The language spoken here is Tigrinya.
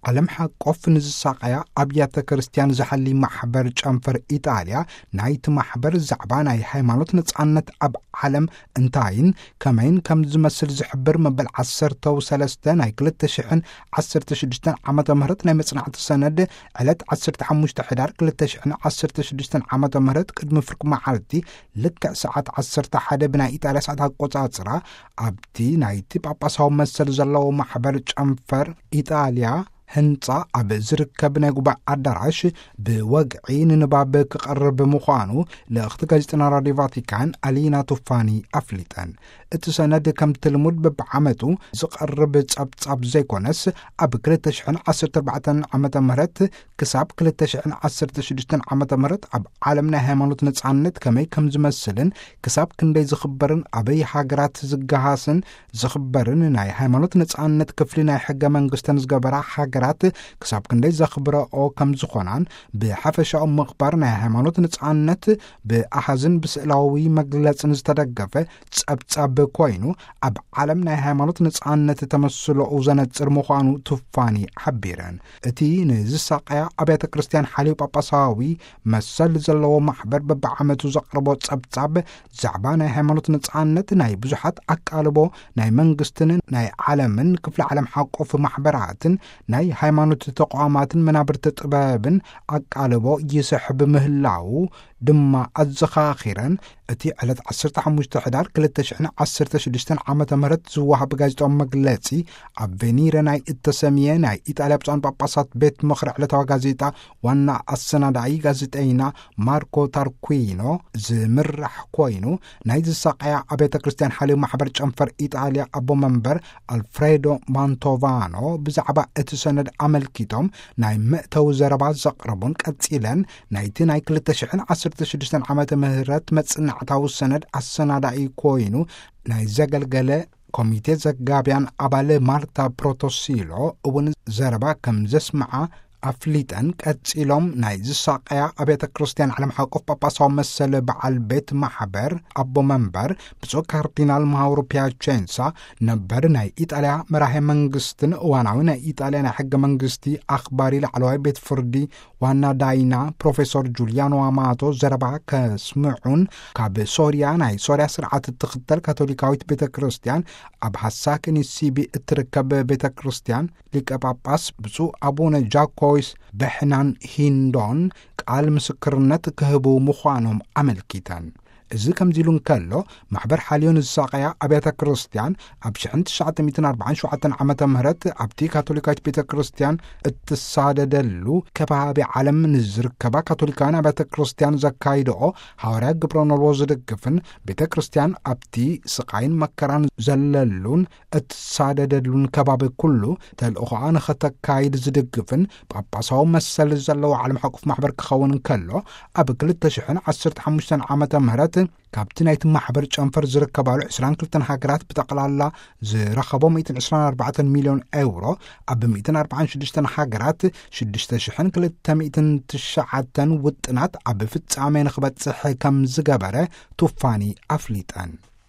ዓለም ሓቆፍ ንዝሳቐያ ኣብያተ ክርስቲያን ዝሓሊ ማሕበር ጨንፈር ኢጣልያ፣ ናይቲ ማሕበር ዛዕባ ናይ ሃይማኖት ነጻነት ኣብ ዓለም እንታይን ከመይን ከም ዝመስል ዝሕብር መበል ዓሰርተ ሰለስተ ናይ ክልተ ሽሕን ዓሰርተ ሽዱሽተን ዓመተ ምህረት ናይ መጽናዕቲ ሰነድ፣ ዕለት ዓሰርተ ሓሙሽተ ሕዳር ክልተ ሽሕን ዓሰርተ ሽዱሽተን ዓመተ ምህረት ቅድሚ ፍርቂ መዓልቲ፣ ልክዕ ሰዓት ዓሰርተ ሓደ ብናይ ኢጣልያ ሰዓት ኣቆጻጽራ፣ ኣብቲ ናይቲ ጳጳሳዊ መሰል ዘለዎ ማሕበር ጨንፈር ኢጣልያ ህንጻ ኣብ ዝርከብ ናይ ጉባኤ ኣዳራሽ ብወግዒ ንንባብ ክቐርብ ምዃኑ ልእኽቲ ጋዜጠና ራድዮ ቫቲካን ኣሊና ቱፋኒ ኣፍሊጠን። እቲ ሰነድ ከምቲ ልሙድ በብዓመቱ ዝቐርብ ጸብጻብ ዘይኮነስ፣ ኣብ ክልተ ሽሕን ዓሰርተ ኣርባዕተን ዓመተ ምህረት ክሳብ ክልተ ሽሕን ዓሰርተ ሽዱሽተን ዓመተ ምህረት ኣብ ዓለም ናይ ሃይማኖት ነጻነት ከመይ ከም ዝመስልን ክሳብ ክንደይ ዝኽበርን ኣበይ ሃገራት ዝገሃስን ዝኽበርን ናይ ሃይማኖት ነጻነት ክፍሊ ናይ ሕገ መንግስተን ዝገበራ ሃገራት ክሳብ ክንደይ ዘኽብረኦ ከም ዝኾናን፣ ብሓፈሻኡ ምኽባር ናይ ሃይማኖት ነጻነት ብኣሃዝን ብስእላዊ መግለጽን ዝተደገፈ ጸብጻብ ኮይኑ፣ ኣብ ዓለም ናይ ሃይማኖት ነጻነት ተመስሎኡ ዘነጽር ምዃኑ ቱፋኒ ሓቢረን። እቲ ንዝሳቀያ ኣብያተ ክርስቲያን ሓልዮ ጳጳሳዊ መሰል ዘለዎ ማሕበር በብዓመቱ ዘቕርቦ ጸብጻብ ዛዕባ ናይ ሃይማኖት ነጻነት ናይ ብዙሓት ኣቃልቦ ናይ መንግስትን ናይ ዓለምን ክፍለ ዓለም ሓቆፍ ማሕበራትን ናይ ሃይማኖት ተቋማትን መናብርቲ ጥበብን ኣቃልቦ ይስሕብ ምህላዉ ድማ ኣዘኻኺረን፣ እቲ ዕለት ዓሰርተ ሓሙሽተ ሕዳር ክልተ ሽሕን ዓሰርተ ሽዱሽተን ዓመተ ምህረት ዝወሃብ ጋዜጣዊ መግለጺ፣ ኣብ ቬኒረ ናይ እተሰምየ ናይ ኢጣልያ ብፁዓን ጳጳሳት ቤት ምኽሪ ዕለታዊ ጋዜጣ ዋና ኣሰናዳኢ ጋዜጠይና ማርኮ ታርኩዊኖ ዝምራሕ ኮይኑ፣ ናይ ዝሳቀያ ኣብያተ ክርስቲያን ሓልዮ ማሕበር ጨንፈር ኢጣልያ ኣቦ መንበር ኣልፍሬዶ ማንቶቫኖ ብዛዕባ እቲ ሰነድ ኣመልኪቶም ናይ መእተዊ ዘረባ ዘቕረቡን ቀጺለን፣ ናይቲ ናይ ክልተ ሽሕን ዓሰርተ ሽዱሽተን ዓመተ ምህረት መጽናዕታዊ ሰነድ ኣሰናዳኢ ኮይኑ ናይ ዘገልገለ ኮሚቴ ዘጋብያን ኣባል ማርታ ፕሮቶሲሎ እውን ዘረባ ከም ዘስምዓ ኣፍሊጠን፣ ቀጺሎም ናይ ዝሳቀያ ኣብያተ ክርስቲያን ዓለም ሓቆፍ ጳጳሳዊ መሰል በዓል ቤት ማሕበር ኣቦ መንበር ብፁዕ ካርዲናል ማውሮ ፒያቼንሳ፣ ነበር ናይ ኢጣልያ መራሄ መንግስትን እዋናዊ ናይ ኢጣልያ ናይ ሕገ መንግስቲ ኣኽባሪ ላዕለዋይ ቤት ፍርዲ ዋና ዳይና ፕሮፌሰር ጁልያኖ ኣማቶ ዘረባ ከስምዑን፣ ካብ ሶርያ ናይ ሶርያ ስርዓት እትኽተል ካቶሊካዊት ቤተ ክርስቲያን ኣብ ሃሳክኒ ሲቢ እትርከብ ቤተ ክርስቲያን ሊቀ ጳጳስ ብፁዕ ኣቡነ ጃኮይስ በሕናን ሂንዶን ቃል ምስክርነት ክህቡ ምዃኖም ኣመልኪተን። እዚ ከምዚ ኢሉ እንከሎ፣ ማሕበር ሓልዮን ዝሳቀያ ኣብያተ ክርስቲያን ኣብ ሽሕን ትሽዓተ ሚእትን ኣርባዓን ሸውዓተን ዓመተ ምህረት ኣብቲ ካቶሊካዊት ቤተ ክርስቲያን እትሳደደሉ ከባቢ ዓለም ንዝርከባ ካቶሊካውያን ኣብያተ ክርስቲያን ዘካይድኦ ሃዋርያ ግብረ ኖልዎ ዝድግፍን ቤተ ክርስቲያን ኣብቲ ስቃይን መከራን ዘለሉን እትሳደደሉን ከባቢ ኩሉ ተልእኾኣ ንኸተካይድ ዝድግፍን ጳጳሳዊ መሰል ዘለዎ ዓለም ሓቁፍ ማሕበር ክኸውን እንከሎ፣ ኣብ ክልተ ሽሕን ዓሰርተ ሓሙሽተን ዓመተ ምህረት ካብቲ ናይቲ ማሕበር ጨንፈር ዝርከባሉ ዕስራን ክልተን ሃገራት ብጠቕላላ ዝረኸቦ ሚእትን ዕስራን ኣርባዕተን ሚልዮን ኤውሮ፣ ኣብ ሚእትን ኣርባዓን ሽዱሽተን ሃገራት ሽዱሽተ ሽሕን ክልተ ሚእትን ትሽዓተን ውጥናት ኣብ ፍጻሜ ንኽበጽሕ ከም ዝገበረ ቱፋኒ ኣፍሊጠን።